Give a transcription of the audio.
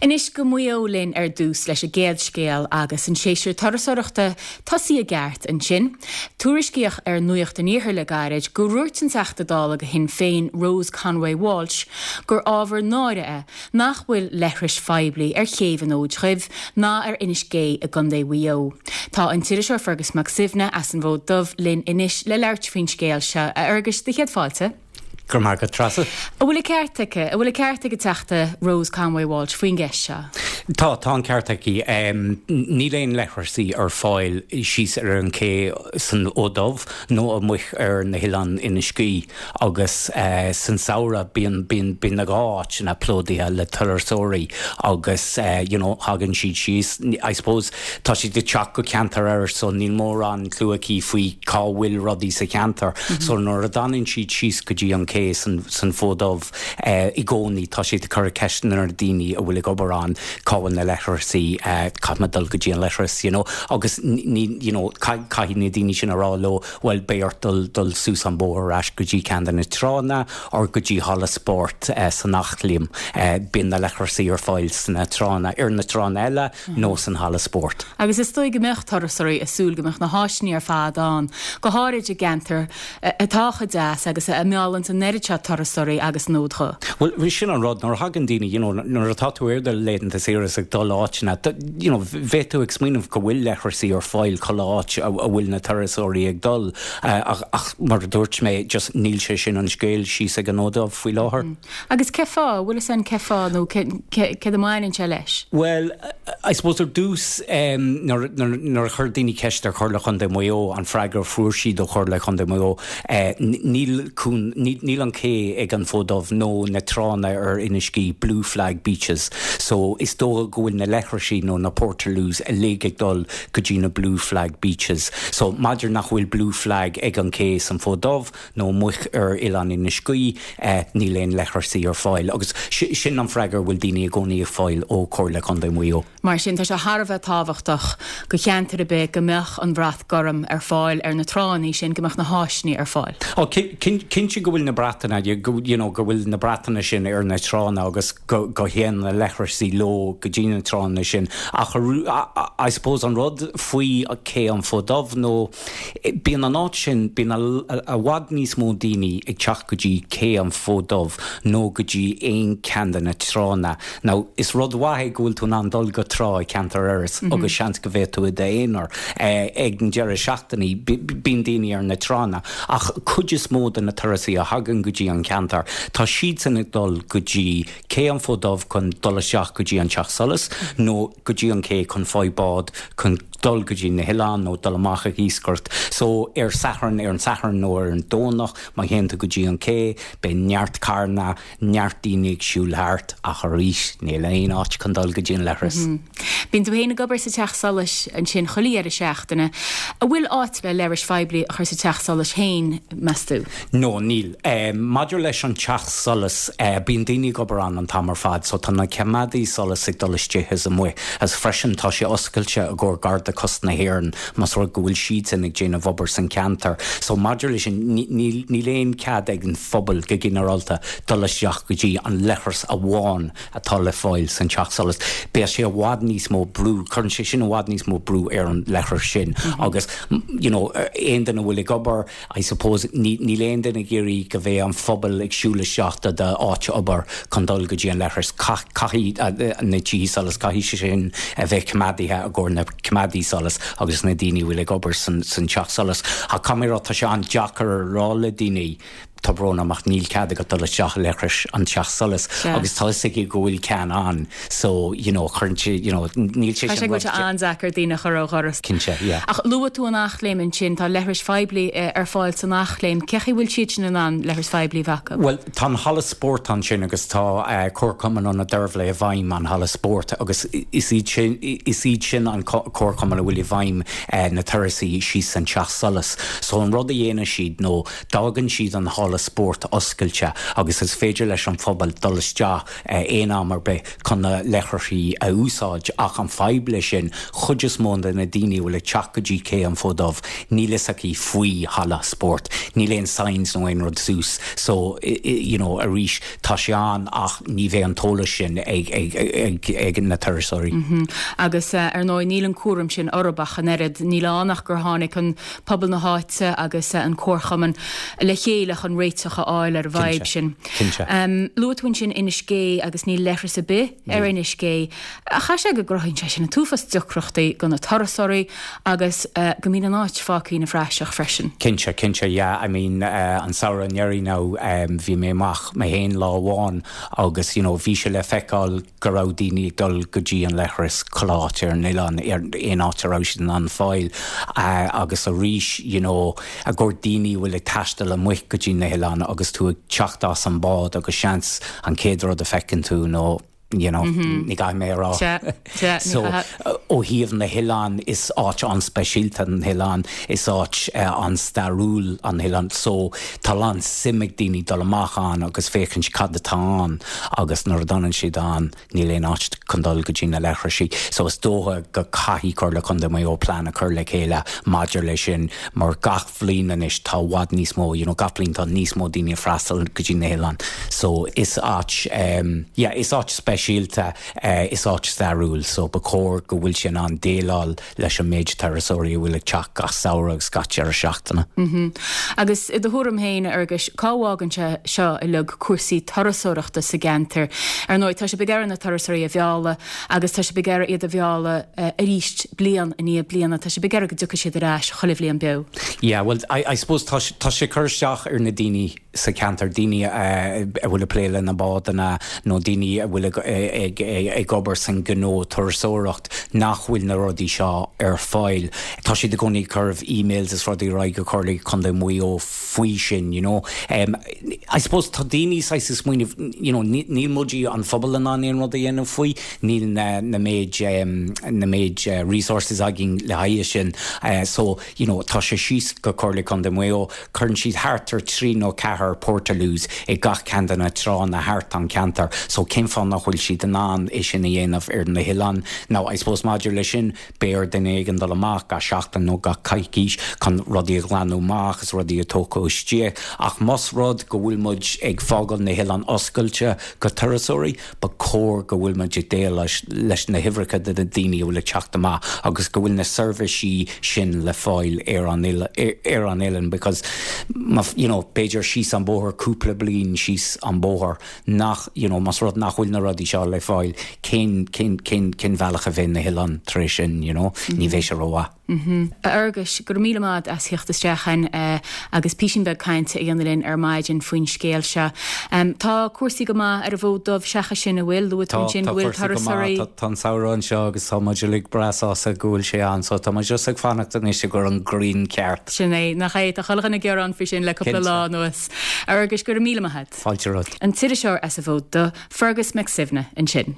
Anois go Maigh Eo linn ar dtús leis an gcéad scéal agus an séasúr turasóireachta tosaithe i gceart ansin. Tuairiscíodh ar Nuacht an Iarthair le gairid go ndúirt an Teachta Dála do Shinn Féin Rose Conway Walsh gur ábhar náire é nach bhfuil leithris phoiblí ar chéibh an Fhóid Dhuibh ná ar Inis Gé i gContae Mhaigh Eo. Tá an t-iriseoir Fergus Mac Suibhne as an bhFód Dubh linn anois le labhairt faoin scéal seo. A Fherguis, do chéad fáilte. Go raibh maith agat, Treasa. An bhfuil an ceart aici? An bhfuil an ceart ag an Teachta Rose Conway Walsh faoin gceist seo? Tá, tá an ceart aici. Níl aon leithreasaí ar fáil síos ar an ché san Fhód Dubh nó amuigh ar na hoileáin Inis Gé agus san samhradh bíonn, bíonn, bíonn na dhá áiteanna plódaithe le turasóirí agus you know thagann siad síos, I suppose Tá siad ag teacht go ceantar Iorrais so níl mórán clue acu faoi cá bhfuil rudaí sa cheantar. So nuair a dtagann siad síos go dtí an cé san san Fód Dubh i gcónaí tá siad ag cur ceisteanna ar na daoine a bhfuil ag obair ann cá bhfuil na leithreasaí, caithfidh mé dul go dtí an leithreas you know agus ní you know caithfidh na daoine sin a rá leo bhuel beidh ort dul dul suas an bóthar ar ais go dtí ceann de na tránna or go dtí halla spóirt san Eachléim. Bíonn na leithreasaí ar fáil sna tránna ar na tránna eile. nó san halla spóirt. Agus is dóigh go mbeadh turasóirí ag súil go mbeadh na háiseanna ar fad ann, go háirid i gceantar atá chomh deas agus a mheallann an oiread seo turasóirí agus an Fhód Dhubh. Bhuel, sin an rud, nuair a thagann daoine, you know, nuair atá tú ar do laethanta saoire is ag dul áiteanna, you know, bheadh tú ag smaoineamh go bhfuil leithreasaí ar fáil chuile áit a bhfuil na turasóirí ag dul ach mar a dúirt mé, just níl sé sin an scéal síos ag an Fhód Dubh faoi láthair. Agus cé fáth? Bhfuil fhios a'inn cé fáth nó céard a mbaineann sé leis? Bhuel, I suppose ar dtús nuair nuair a chuir daoine ceist ar Chomhairle Chontae Mhaigh Eo, an freagra a fuair siad ó Chomhairle Chontae Mhaigh Eo, níl cún, níl an cé ag an Fód Dubh nó na tránna ar Inis Gé blue flag beaches. So is dócha go bhfuil na leithrisí nó na portaloos uilig ag dul go dtí na blue flag beaches. So maidir nach bhfuil blue flag ag an cé san Fód Dubh, nó amuigh ar Oileán Inis Gaoith, níl aon leithreasaí ar fáil. Agus sin an freagra a bhfuil daoine i gcónaí ag fáil ó Chomhairle Contae Mhaigh Eo. Mar sin, tá sé thar a bheith tábhachtach do cheantar ar bith go mbeadh an brat gorm ar fáil ar na tránna sin, go mbeadh na háiseanna ar fáil. Ó, cinnte go bhfuil na bratanna, you know, go bhfuil na bratanna sin ar na tránna agus go dtéann na leithreasaí leo go dtí na tránna sin. Ach I suppose an rud faoi Cé an Fód Dubh nó Bíonn an áit sin, bíonn i bhfad níos mó daoine ag teacht go dtí Cé an Fód Dubh nó go dtí aon ceann de na tránna. Now, is rud mhaith é go bhfuil tú in ann dul go trá i gceantar Iorrais agus seans go bhféadfaidh tú i d'aonar. Ag an deireadh seachtaine, bíonn daoine ar na tránna ach cuid is mó de na turasaí a thagann go dtí an ceantar, tá siadsan ag dul go dtí Cé an Fód Dubh chun dul isteach go dtí an Teach Solais nó go dtí an cé chun fáil bád chun dul go dtí na hoileáin nó dul amach ag iascaireacht. So ar Satharn, ar an Satharn nó ar an Domhnach má théann tú go dtí an cé, beidh neart carranna, neart daoine ag siúl thart ach arís níl aon áit chun dul go dtí an leithreas. Bíonn tú féin ag obair sa Teach Solais ansin chuile dheireadh seachtaine. An bhfuil áit le leithris phoiblí a chur sa Teach Solais féin, meas tú? No, níl. Maidir leis an Teach Solais, bíonn daoine ag obair ann an t-am ar fad, so tá na coimeádaí solais ag dul istigh is amuigh, agus freisin tá sé oscailte i gcomhair Garda Cósta na hÉireann más rud go bhfuil siadsan ag déanamh obair san ceantar. So maidir leis sin, níl, níl aon cead ag an phobal go ginearálta dul isteach go dtí an leithreas amháin atá le fáil san Teach Solais. Beidh sé i bhfad níos mó brú, cuireann sé sin i bhfad níos mó brú ar an leithreas sin agus you know aon duine a bhfuil ag obair, I suppose, níl aon duine ag iarraidh go mbeidh an phobal ag siúl isteach do d'áit obair chun dul go dtí an leithreas. Caithfidh na tithe solais, caithfidh sé sin a bheith coimeádaithe i gcomhair na coimeádaí solais agus na daoine a bhfuil ag obair san teach solais. Ach caithfidh mé a rá, tá sé an-deacair a rá le daoine, tá brón orm ach níl cead agat dul isteach i leithreas an teach solais agus tá fhios acu go bhfuil ceann ann so, you know, cuireann sé, you know, níl sé sin rud. Tá sé go bhfuil sé an-deacair daoine a chur ó dhoras. Cinnte, yeah. Ach luaigh tú an Eachléim ansin, tá leithris phoiblí ar fáil san Eachléim. Cé chaoi bhfuil siad sin in ann leithris phoiblí a bheith acu? Bhuel, tá an halla spóirt ansin agus tá Comharchumann Ionad Deirbhile i bhfeidhm an halla spóirt agus is iad sin, is iad sin an comharchumann a bhfuil i bhfeidhm na turais síos san teach solais. So an rud a dhéanann siad nó d'fhágann siad an halla. halla spóirt oscailte agus is féidir leis an phobal dul isteach aon am ar bith chun na leithrisí a úsáid ach an fadhb leis sin, chuid is mó de na daoine a bhfuil ag teacht go dtí Cé an Fóid Dubh, níl fhios acu faoi halla spóirt. Níl aon signs nó aon rud suas so you know arís tá sé ann ach ní bheidh an t-eolas sin ag ag ag ag na turasóirí. Agus ar ndóigh níl an cúram sin orthu ach an oiread. Níl ann ach gur tháinig an pobal na háite agus an comharchumann le chéile chun réiteach a fháil ar an bhfadhb sin. Cinnte. Luaigh tú ansin Inis Gé agus níl leithreas ar bith ar Inis Gé. Chaithfeadh sé go gcruthaíonn sé sin an t-uafás deacrachtaí do na turasóirí agus go mbíonn an áit fágtha ina phraiseach freisin. Cinnte, cinnte, yeah. I mean an samhradh anuraidh now bhí mé amach mé féin lá amháin agus you know bhí sé le feiceáil go raibh daoine ag dul go dtí an leithreas chuile áit ar an oileán, ar aon áit a raibh siad in ann fáil agus arís you know i gcomhair daoine a bhfuil ag taisteal amuigh go dtí na hoileáin agus tú ag teacht as an bád agus seans an chéad rud a feiceann tú nó you know ní gcaithfidh mé a rá. So ó thaobh na hoileán is áit an-speisialta an t-oileán, is áit an-stairiúil an t-oileán so tá a lán suim ag daoine dul amach ann agus féachaint cad atá ann agus nuair a d'fhanann siad ann níl aon áit chun dul go dtí na leithrisí. So is dócha go caithfidh Comhairle Contae Mhaigh Eo plean a chur le chéile maidir leis sin mar gach bhliain anois tá i bhfad níos mó, you know gach bliain tá níos mó daoine ag freastal go dtí na hoileáin. So is áit ehm yeah is áit speisialta eh is áit stairiúil so ba chóir go bhfuil sé in ann déileáil leis an méid turasóirí a bhfuil ag teacht gach samhradh agus gach deireadh seachtaine. Agus i do thuairim féin, a Fhearghuis, cá bhfágann sé seo uilig cúrsaí turasóireachta sa gceantar? Ar ndóigh, tá sibh ag iarraidh na turasóirí a mhealladh agus tá sibh ag iarraidh iad a mhealladh arís bliain i ndiaidh bliana. Tá sibh ag iarraidh go dtiocfaidh siad ar ais chuile bhliain beo. Yeah, well, I, I suppose tá, tá sé ag cur isteach ar na daoine sa cheantar, daoine a bhfuil ag plé le na bádanna nó daoine a bhfuil ag obair san gnó turasóireacht nach bhfuil na rudaí seo ar fáil. Tá siad i gcónaí ag cur emails is rudaí ar aghaidh go Comhairle Contae Mhaigh Eo faoi sin, you know. I suppose tá daoine saghas ag smaoineamh, you know, níl muid an phobal in ann aon rud a dhéanamh faoi, níl na na méid na méid resources againn le haghaidh sin. So, you know, tá sé síos go Comhairle Contae Mhaigh Eo, Cuireann siad thart ar trí nó ceathair portaloos i gach ceann de na tránna thart an ceantar so cén fáth nach bhfuil siad in ann é sin a dhéanamh ar na hoileáin? Now I suppose maidir leis sin beidh ar duine éigin dul amach gach seachtain nó gach coicís chun rudaí a ghlanadh amach is rudaí a tógadh istigh ach más rud go bhfuil muid ag fágáil na hoileáin oscailte go turasóirí ba chóir go bhfuil muid ag déileáil leis na huimhreacha de na daoine a bhfuil ag teacht amach agus go bhfuil na seirbhísí sin le fáil ar an ar an oileán because má you know b'fhéidir síos an bóthar cúpla bliain síos an bóthar nach you know más rud nach bhfuil na rudaí seo le fáil cén cén cén cén bhealach a bheidh na hoileáin tar éis sin you know ní bheidh sé rómhaith. A Fhearghuis, go raibh míle maith a't as theacht isteach chugainn agus písín beag cainte a dhéanamh linn ar maidin faoin scéal seo. Tá cúrsaí go maith ar an bhFód Dubh seachas sin, an bhfuil? Luaigh tú ansin go bhfuil turasóirí. Tá, tá an samhradh anseo agus tá muid uilig breá sásta go bhfuil sé ann so tá muid just ag fanacht anois i gcomhair an ghrian ceart. Sin é, nach é? Tá chuile dhuine ag gearán faoi sin le cúpla lá anuas. A Fhearghuis, go raibh míle maith a't. Fáilte romhat. An t-iriseoir as an bhFód Dubh, Fergus Mac Suibhne, ansin.